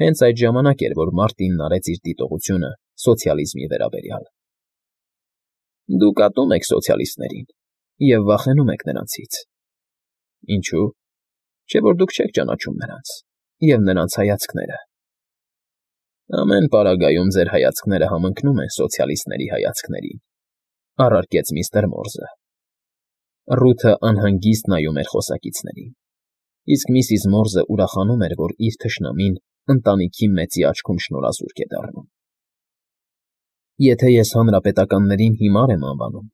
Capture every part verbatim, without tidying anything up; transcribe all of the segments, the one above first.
Հենց այդ ժամանակ էր, որ Մարտինն արեց իր դիտողությունը սոցիալիզմի վերաբերյալ։ Դուք ատում եք սոցիալիստներին և վախենում եք նրանցից։ Ինչո՞ւ։ Չէ՞ որ դուք չեք ճանաչում նրանց և նրանց հայացքները։ Ամեն պարագայում ձեր հայացքները համընկնում են սոցիալիստների հայացքներին, առարկեց միստր Մորզը։ Ռութը անհանգիստ նայում էր խոսակիցներին, իսկ միսիս Մորզը ուրախանում էր, որ իր թշնամին ընտանիքի մեծի աչքում շնորհազուրկ է դառնում։ Եթե ես հանրապետականներին հիմար եմ անվանում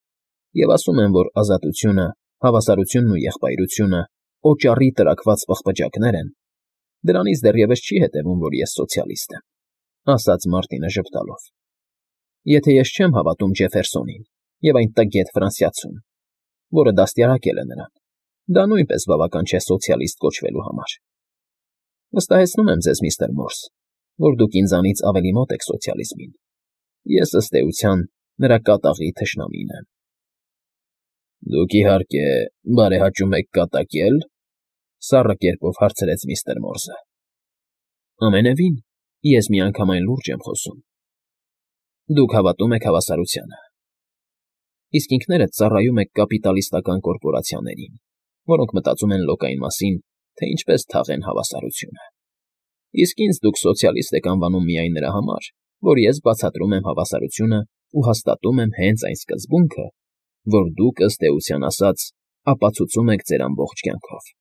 և ասում եմ, որ ազատությունը, հավասարությունն ու եղբայրությունը օճառի տրաքված պղպջակներ են, դրանից դեռևս չի հետևում, որ ես սոցիալիստ եմ, ասաց Մարտինը ժպտալով։ Եթե ես չեմ հավատում Ջեֆերսոնին և այն տգետ ֆրանսիացուն, որը դաստիարակել է նրան, դա նույնպես բավական չէ սոցիալիստ կոչվելու համար։ Վստահեցնում եմ ձեզ, միստր Մորզ, որ դուք ինձանից ավելի մոտ եք սոցիալիզմին։ Ես, ըստ էության, նրա կատաղի թշնամին եմ։ Դուք, իհարկե, բարեհաճում եք կատակել,֊ սառը կերպով հարցրեց միստր Մորզը։ Ամենևին, ես միանգամայն լուրջ եմ խոսում։ Դուք հավատում եք հավասարությանը, իսկ ինքներդ ծառայում եք կապիտալիստական կորպորացիաներին, որոնք մտածում են լոկային մասին, թե ինչպես թաղեն հավասարությունը։ Իսկ ինձ դուք սոցիալիստ եք անվանում միայն նրա համար, որ ես բացատրում եմ հավասարությունը ու հաստատում եմ հենց այն սկզբունքը, որ դուք, ըստ էության ասած, ապացուցում եք ձեր ամբողջ կյանքով։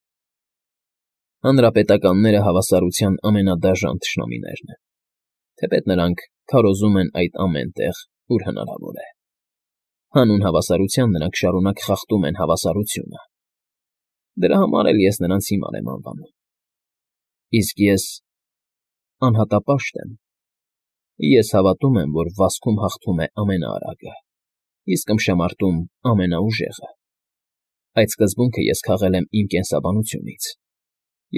Հանրապետականները հավասարության ամենադաժան թշնամիներն են, թեպետ նրանք քարոզում են այդ ամեն տեղ, ուր հնարավոր է։ Հանուն հավասարության նրանք շարունակ խախտում են հավասարությունը։ Դրա համար էլ ես նրանց հիմար եմ անվանում։ Իսկ ես անհատապաշտ եմ։ Ես հավատում եմ, որ վազքում հաղթում է ամենաարագը, իսկ ըմբշամարտում ամենաուժեղը։ Այդ սկզբունքը ես քաղել եմ իմ կենսաբանությունից,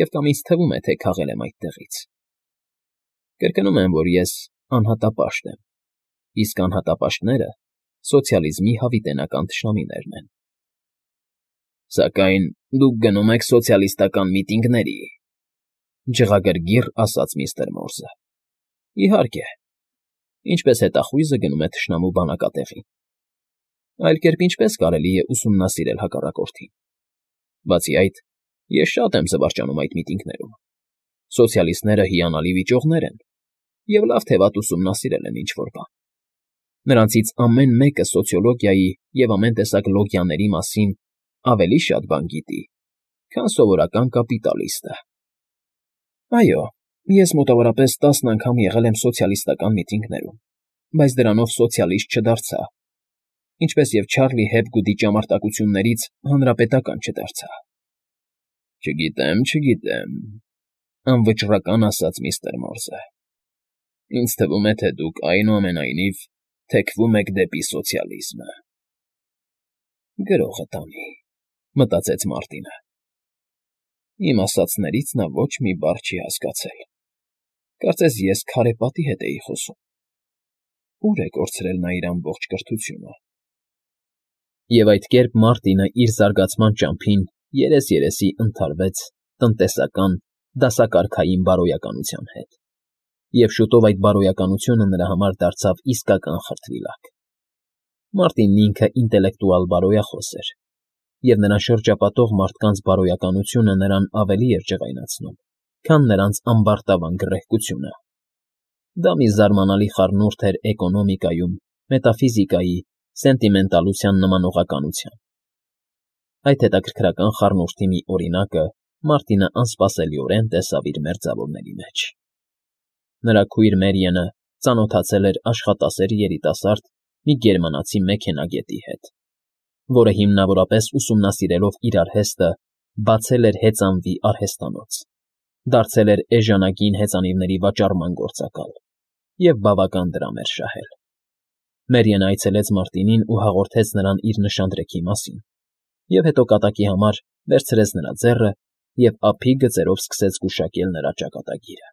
և կամ ինձ թվում է, թե քաղել եմ այդտեղից։ Կրկնում եմ, որ ես անհատապաշտ եմ, իսկ անհատապաշտները սոցիալիզմի հավիտենական թշնամիներն են։ Սակայն դուք գնում եք սոցիալիստական միտինգների,֊ ջղագրգիռ ասաց միստր Մորզը։ Իհարկե, ինչպես հետախույզը գնում է թշնամու բանակատեղին։ Այլ կերպ ինչպես կարելի է ուսումնասիրել հակառակորդին։ Բացի այդ, ես շատ եմ զվարճանում այդ միտինգներում։ Սոցիալիստները հիանալի վիճողներ են և լավ թե վատ ուսումնասիրել են ինչ֊որ բան։ Նրանցից ամեն մեկը սոցիոլոգիայի և ամեն տեսակ լոգիաների մասին ավելի շատ բան գիտի, քան սովորական կապիտալիստը։ Այո, ես մոտավորապես տասն անգամ եղել եմ սոցիալիստական միտինգներում, բայց դրանով սոցիալիստ չդարձա, ինչպես և Չարլի Հեփգուդի ճամարտակություններից հանրապետական չդարձա։ Չգիտեմ, չգիտեմ,֊ անվճռական ասաց միստր Մորզը։ Ինձ թվում է, թե դուք, այնուամենայնիվ, թեքվում եք դեպի սոցիալիզմը։ Գրողը տանի,֊ մտածեց Մարտինը։ Իմ ասածներից նա ոչ մի բառ չի հասկացել։ Կարծես ես քարե պատի հետ էի խոսում։ Ո՞ւր է կորցրել նա իր ամբողջ կրթությունը։ Եվ այդ կերպ Մարտինը իր զարգացման ճամփին երես֊երեսի ընդհարվեց տնտեսական դասակարգային բարոյականության հետ, և շուտով այդ բարոյականությունը նրա համար դարձավ իսկական խրտվիլակ։ Մարտինն ինքը ինտելեկտուալ բարոյախոս էր, և նրան շրջապատող մարդկանց բարոյականությունը նրան ավելի էր ջղայնացնում, քան նրանց ամբարտավան գռեհկությունը։ Դա մի զարմանալի խառնուրդ էր էկոնոմիկայում, մետաֆիզիկայի, սենտիմենտալության նմանողականության։ Այդ հետաքրքրական խառնուրդի մի օրինակը Մարտինը անսպասելիորեն տեսավ իր մերձավորների մեջ։ Նրա քույր Մերիանը ծանոթացել էր աշխատասեր երիտասարդ մի գերմանացի մեքենագետի հետ, որը հիմնավորապես ուսումնասիրելով իր արհեստը, բացել էր հեծանվի արհեստանոց, դարձել էր էժանագին հեծանիվների վաճառման գործակալ և բավական դրամ էր շահել։ Մերիանը այցելեց Մարտինին ու հաղորդեց նրան իր նշանдрեքի մասին, և հետո կատակի համար վերցրեց նրա ձեռը և ափի գծերով սկսեց գուշակել նրա ճակատագիրը։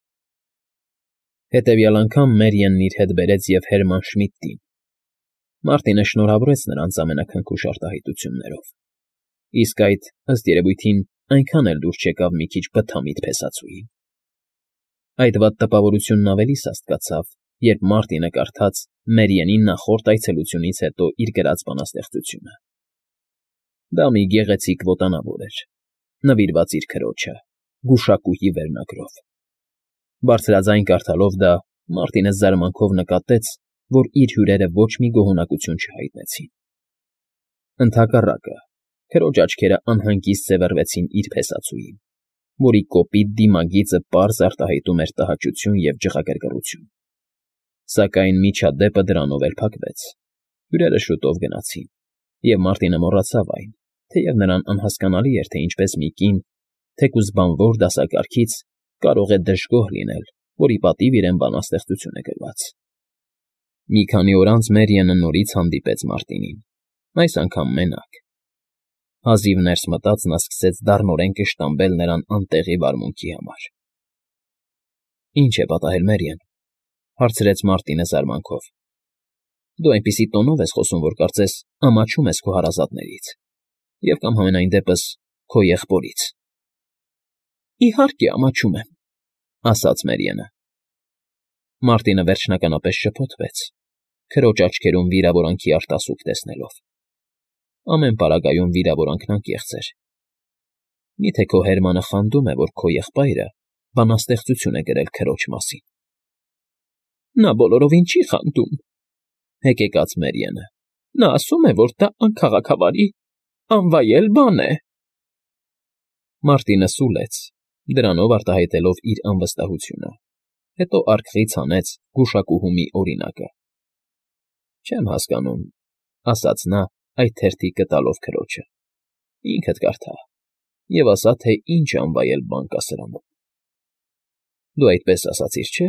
Հետևյալ անգամ Մերիանն իր հետ բերեց և Հերման Շմիդտին։ Մարտինը շնորհավորեց նրանց ամենաքնքուշ արտահայտություններով, իսկ այդ, ըստ երևույթին, այնքան էլ դուր չեկավ մի քիչ բթամիտ փեսացուին։ Այդ վատ տպավորությունն ավելի սաստկացավ, երբ Մարտինը կարդաց Մերիենին նախորդ այցելությունից հետո իր գրած բանաստեղծությունը։ Դա մի գեղեցիկ ոտանավոր էր, նվիրված իր քրոջը, գուշակուհի վերնագրով։ Բարձրաձայն կարդալով դա, Մարտինը զարմանքով նկատեց, որ իր հյուրերը ոչ մի գոհունակություն չհայտնեցին։ Ընդհակառակը, քրոջ աչքերը անհանգիստ սևեռվեցին իր փեսացուին, որի կոպիտ դիմագիծը պարզ արտահայտում էր տհաճություն և ջղագրգռություն։ Սակայն միջադեպը դրանով էլ փակվեց։ Հյուրերը շուտով գնացին, և Մարտինը մոռացավ այն, թեև նրան անհասկանալի էր, թե ինչպես մի կին, թեկուզ բանվոր դասակարգից, կարող է դժգոհ լինել, որի պատիվ իրեն բանաստեղծություն է գրված։ Մի քանի օր անց Մերիանը նորից հանդիպեց Մարտինին, այս անգամ մենակ։ Հազիվ ներս մտած նա սկսեց դառնորեն կշտամբել նրան անտեղի վարմունքի համար։ ֊ Ի՞նչ է պատահել, Մերիան,֊ հարցրեց Մարտինը զարմանքով։ ֊ Դու այնպիսի տոնով ես խոսում, որ կարծես ամաչում ես քո հարազատներից և կամ համենայն դեպս քո եղբորից։ ֊ Իհարկե, ամաչում եմ,֊ ասաց Մերիանը։ Մարտինը վերջնականապես շփոթվեց, քրոջ աչքերում վիրավորանքի արտասուք տեսնելով։ Ամեն պարագայում վիրավորանքն անկեղծ էր։ Միթե քո Հերմանը խանդում է, որ քո եղբայրը բանաստեղծություն է գրել քրոջ մասին։ ֊ Նա բոլորովին չի խանդում,֊ հեկեկաց Մերիանը։ Նա ասում է, որ դա անքաղաքավարի, անվայել բան է։ Մարտինը սուլեց, դրանով արտահայտելով իր անվստահությունը, հետո արկղից հանեց գուշակուհու մի օրինակը։ ֊ Չեմ հասկանում,֊ ասաց նա, այդ թերթիկը տալով քրոջը։ Ինքդ կարդա և ասա, թե ինչ անվայել բան կա սրանում։ ֊ Դու այդպես ասացիր, չէ՞։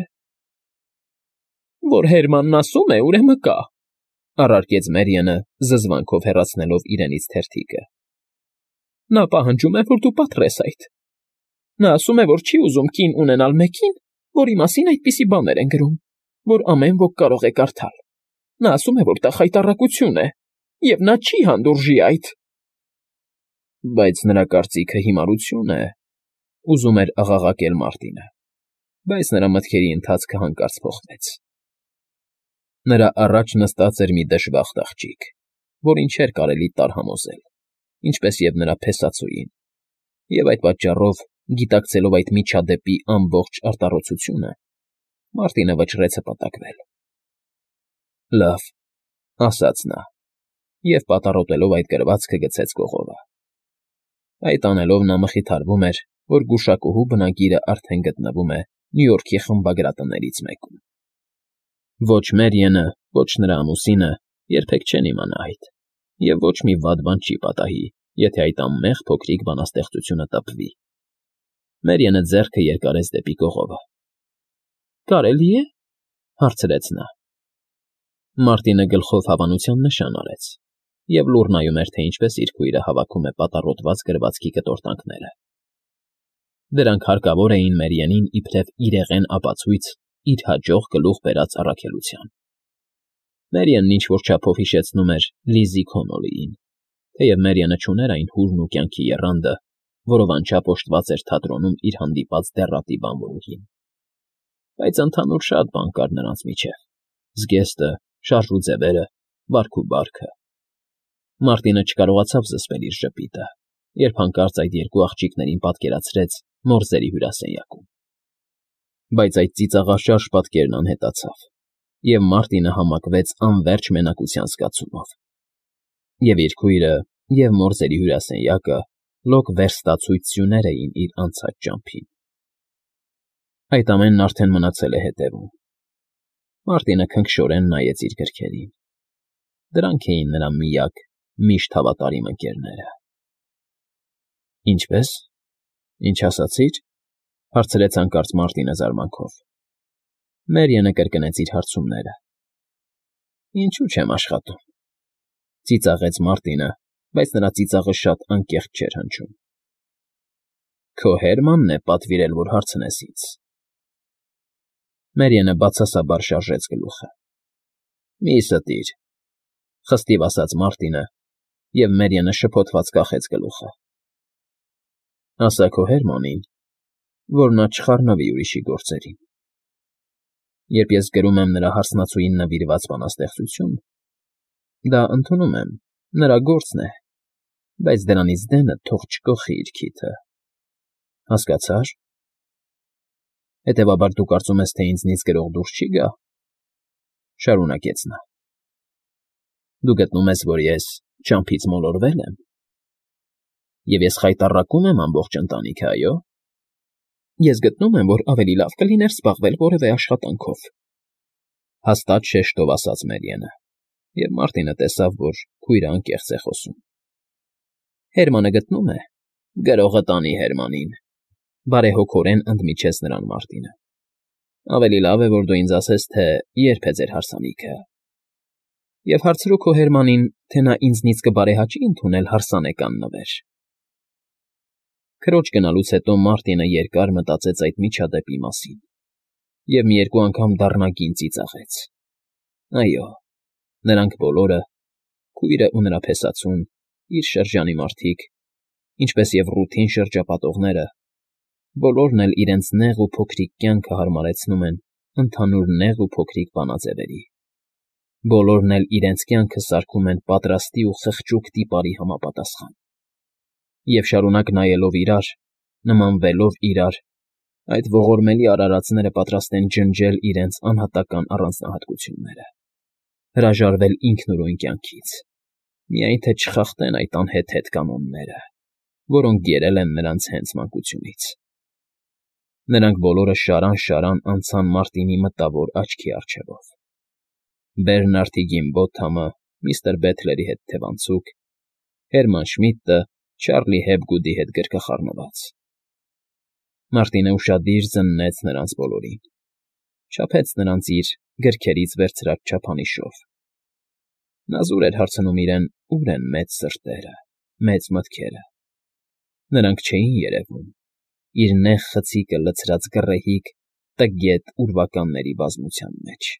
֊ Որ Հերմանն ասում է, ուրեմն կա,֊ առարկեց Մերիանը, զզվանքով հեռացնելով իրենից թերթիկը։ ֊ Նա պահանջում է, որ դու պատռես այդ։ Նա ասում է, որ չի ուզում կին ունենալ մեկին, որի մասին այդպիսի բաներ են գրում, որ ամեն ոք կարող է կարդալ։ Նա ասում է, որ դա խայտառակություն է, և նա չի հանդուրժի այդ։ ֊ Բայց նրա կարծիքը հիմարություն է,֊ ուզում էր աղաղակել Մարտինը, բայց նրա մտքերի ընթացքը հանկարծ փոխվեց։ Նրա առաջ նստած էր մի դժբախտ աղջիկ, որին չէր կարելի տարհամոզել, ինչպես և նրա փեսացուին, և այդ պատճառով, գիտակցելով այդ միջադեպի ամբողջ արտառոցությունը, Մարտինը վճռեց հպատակվել։ ֊ Լավ,֊ ասաց նա, և պատառոտելով այդ գրվածքը գցեց կողովը։ Այդ անելով նա մխիթարվում էր, որ գուշակուհու բնագիրը արդեն գտնվում է Նյու Յորքի խմբագրատներից մեկում։ Ոչ Մերիանը, ոչ նրա ամուսինը երբեք չեն իմանա այդ, և ոչ մի վատ բան չի պատահի, եթե այդ անմեղ փոքրիկ բանաստեղծությունը տպվի։ Մերիանը ձեռքը երկարեց դեպի կողովը։ ֊ Կարելի է,֊ հարցրեց նա։ Մարտինը գլխով հավանության նշան արեց և լուռ նայում էր, թե ինչպես իր քույրը հավաքում է պատառոտված գրվածքի կտորտանքները։ Դրանք հարկավոր էին Մերիանին իբրև իրեղեն ապացույց իր հաջող գլուխ բերած առաքելության։ Մերիանն ինչ֊որ չափով հիշեցնում էր Լիզզի Քոնոլիին, թեև Մերիանը չուներ այն հուրն ու կյանքի եռանդը, որով անչափ օժտված էր թատրոնում իր հանդիպած դեռատի բանվորուհին։ Բայց ընդհանուր շատ բան կար նրանց միջև՝ զգեստը, շարժ ու ձևերը, վարք ու բարքը։ Մարտինը չկարողացավ զսպել իր ժպիտը, երբ հանկարծ այդ երկու աղջիկներին պատկերացրեց մորզերի հյուրասենյակում։ Բայց այդ ծիծաղաշարժ պատկերն անհետացավ, և Մարտինը համակվեց անվերջ մենակության զգացումով։ Եվ իր քույրը, և մորզերի հյուրասենյակը լոկ վերստացույց սյուներ էին իր անցած ճամփին։ Այդ ամենն արդեն մնացել է հետևում։ Մարտինը քնքշորեն նայեց իր գրքերին։ Դրանք էին նրա միակ, միշտ հավատարիմ ընկերները։ ֊ Ինչպե՞ս, ինչ ասացիր,֊ հարցրեց հանկարծ Մարտինը զարմանքով։ Մերիանը կրկնեց իր հարցումները։ ֊ Ինչու չեմ աշխատում,֊ ծիծաղեց Մարտինը, բայց նրա ծիծաղը շատ անկեղծ չէր հնչում։ ֊ Քո Հերմանն է պատվիրել, որ հարցնես ինձ։ Մերիանը բացասաբար շարժեց գլուխը։ ֊ Մի ստիր,֊ խստիվ ասաց Մարտինը, և Մերիանը շփոթված կախեց գլուխը։ ֊ Ասա քո Հերմանին, որ նա չխառնվի ուրիշի գործերին։ Երբ ես գրում եմ նրա հարսնացուին նվիրված բանաստեղծություն, դա, ընդունում եմ, նրա գործն է, բայց դրանից դենը թող չկոխի իր քիթը, հասկացա՞ր։ Հետևաբար դու կարծում ես, թե ինձնից գրող դուրս չի գա,֊ շարունակեց նա։ Դու գտնում ես, որ ես ճամփից մոլորվե՞լ եմ, և ես խայտառակում եմ ամբողջ ընտանիքը, այո՞։ Ես գտնում եմ, որ ավելի լավ կլիներ զբաղվել որևէ աշխատանքով,֊ հաստատ շեշտով ասաց Մերիանը, և Մարտինը տեսավ, որ քույրը անկեղծ է խոսում։ Հերմանը գտնում է, գրողը տանի Հերմանին,֊ բարեհոգորեն ընդմիջեց նրան Մարտինը։ Ավելի լավ է, որ դու ինձ ասես, թե երբ է ձեր հարսանիքը, և հարցրու քո Հերմանին, թե նա ինձնից կբարեհաճի՞ ընդունել հարսանեկան նվեր։ Քրոջ գնալուց հետո Մարտինը երկար մտածեց այդ միջադեպի մասին և մի երկու անգամ դառնագին ծիծաղեց։ Այո, նրանք բոլորը՝ քույրն ու նրա փեսացուն, իր շրջանի մարդիկ, ինչպես և ռութին շրջապատողները, բոլորն էլ իրենց նեղ ու փոքրիկ կյանքը հարմարեցնում են ընդհանուր նեղ ու փոքրիկ բանաձևերի, բոլորն էլ իրենց կյանքը սարքում են պատրաստի ու խղճուկ տիպարի համապատասխան, և շարունակ նայելով իրար, նմանվելով իրար, այդ ողորմելի արարածները պատրաստ են ջնջել իրենց անհատական առանձնահատկությունները, հրաժարվել ինքնուրույն կյանքից, միայն թե չխախտեն այդ անհեթեթ կանոնները, որոնք գերել են նրանց հենց մանկությունից։ Նրանք բոլորը շարան֊շարան անցան Մարտինի մտավոր աչքի առջևով. Բերնարդի Գիմբոթամը միստր Բեթլերի հետ թևանցուկ, Հերման Շմիդտը Չարլի Հեփգուդի հետ գրկախառնված։ Մարտինը ուշադիր զննեց նրանց բոլորին, չափեց նրանց իր գրքերից վերցրած չափանիշով։ Նա զուր էր հարցնում իրեն, ուր են մեծ սրտերը, մեծ մտքերը։ Նրանք չէին երևում իր նեղ խցիկը լցրած գռեհիկ, տգետ ուրվականների բազմության մեջ,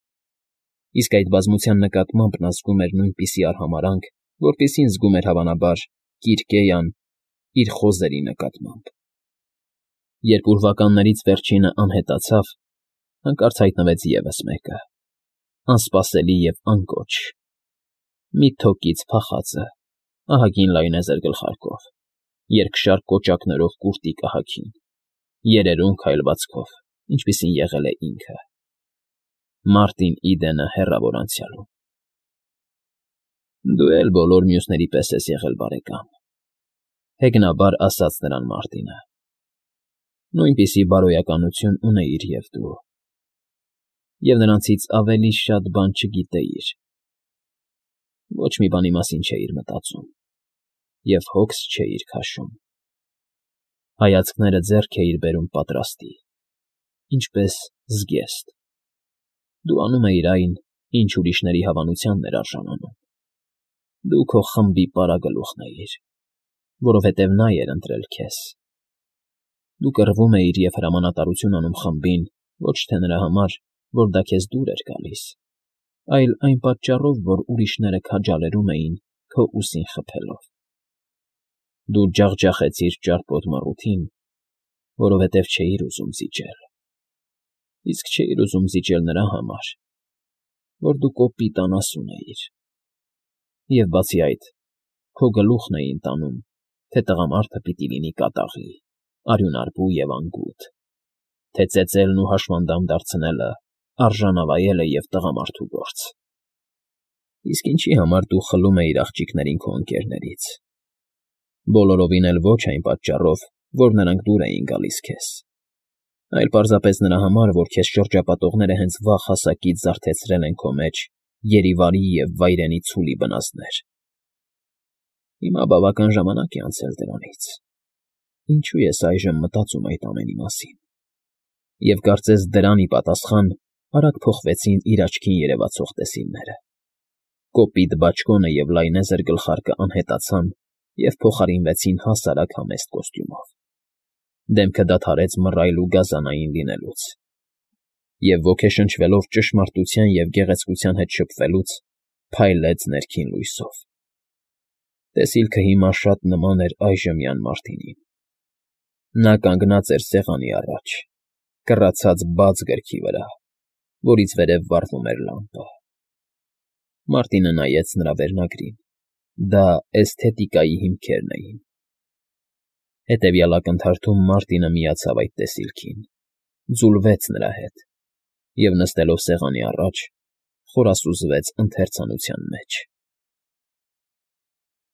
իսկ այդ բազմության նկատմամբ նա զգում էր նույնպիսի արհամարհանք, որպիսին զգում էր, հավանաբար, Կիրկեյան իր խոզերի նկատմամբ։ Երբ ուրվականներից վերջինը անհետացավ, հանկարծ հայտնվեց ևս մեկը, անսպասելի և անկոչ, մի թոկից փախածը, ահագին լայնեզր գլխարկով, երկշար կոճակներով կուրտի կահաքին, երերուն քայլվածքով, ինչպիսին եղել է ինքը՝ Մարտին Իդենը հեռավոր անցյալում։ Դու էլ բոլոր մյուսների պես ես եղել, բարեկամ,֊ հեգնաբար ասաց նրան Մարտինը։ Նույնպիսի բարոյականություն ունեիր և դու, և նրանցից ավելի շատ բան չգիտեիր, ոչ մի բանի մասին չէիր մտածում և հոգս չէիր քաշում, հայացքները ձեռք էիր բերում պատրաստի, ինչպես զգեստ, դու անում էիր այն, ինչ ուրիշների հավանությանն էր արժանանում, դու քո խմբի պարագլուխն էիր, որովհետև նա էր ընտրել քեզ, դու կռվում էիր և հրամանատարություն անում խմբին ոչ թե նրա համար, որ դա քեզ դուր էր գալիս, այլ այն պատճառով, որ ուրիշները քաջալերում էին քո ուսին խփելով։ Դու ջախջախեցիր ճարպոտ մռութին, որովհետև չէիր ուզում զիջել, իսկ չէիր ուզում զիջել նրա համար, որ դու կոպիտ անասուն էիր, և, բացի այդ, քո գլուխն էին տանում, թե տղամարդը պիտի լինի կատաղի, արյունարբու և անգութ, թե ծեծելն ու հաշմանդամ դարձնելը արժանավայել է և տղամարդու գործ, իսկ ինչի համար դու խլում էիր աղջիկներին քո ընկերներից, բոլորովին էլ ոչ այն պատճառով, որ նրանք դուր էին գալիս քեզ, այլ պարզապես նրա համար, որ քեզ շրջապատողները հենց վաղ հասակից զարթեցրել են քո մեջ երիվարի և վայրենի ցուլի բնազդներ։ Հիմա բավական ժամանակ է անցել դրանից, ինչու ես այժմ մտածում այդ ամենի մասին, և կարծես դրան ի պատասխան արագ փոխվեցին իր աչքին երևացող տեսիլները, կոպիտ բաճկոնը և լայնեզր գլխարկը անհետացան և փոխարինվեցին հասարակ համեստ կոստյումով, դեմքը դադարեց մռայլ ու գազանային լինելուց, և ոգեշնչվելով ճշմարտության և գեղեցկության հետ շփվելուց, փայլեց ներքին լույսով։ Տեսիլքը հիմա շատ նման էր այժմյան Մարտինին, Նա կանգնած էր սեղանի առաջ, կռացած բաց գրքի վրա, որից վերև վառվում էր լամպը։ Մարտինը նայեց նրա վերնագրին. դա էսթետիկայի հիմքերն էին։ Հետևյալ ակնթարթում Մարտինը միացավ այդ տեսիլքին, ձուլվեց նրա հետ և, նստելով սեղանի առաջ, խորասուզվեց ընթերցանության մեջ։